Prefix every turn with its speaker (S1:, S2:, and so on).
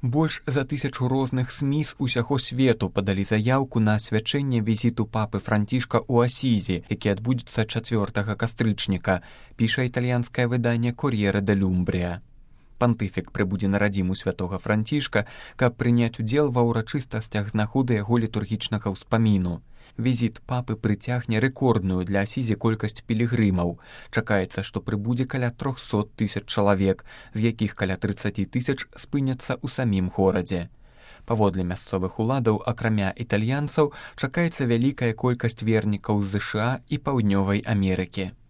S1: Больш за 1000 розных СМІ з усяго свету падалі заяўку на асвячэнне візіту папы Францішка ў Асізі, які адбудзецца 4 кастрычніка, піша італьянскае выданне «Кор'єре де Люмбрія». Пантыфік прыбудзе на радзіму святога Францішка, каб прыняць удзел ва ўрачыстасцях з нагоды яго літургічнага ўспаміну. Візіт папы прыцягне рэкордную для Асізі колькасць пілігрымаў. Чакаецца, што прыбудзе каля 300 000 чалавек, з якіх каля 30 000 спыняцца ў самім горадзе. Паводле мясцовых уладаў, акрамя італьянцаў, чакаецца вялікая колькасць вернікаў з ЗША і Паўднёвай Амерыкі.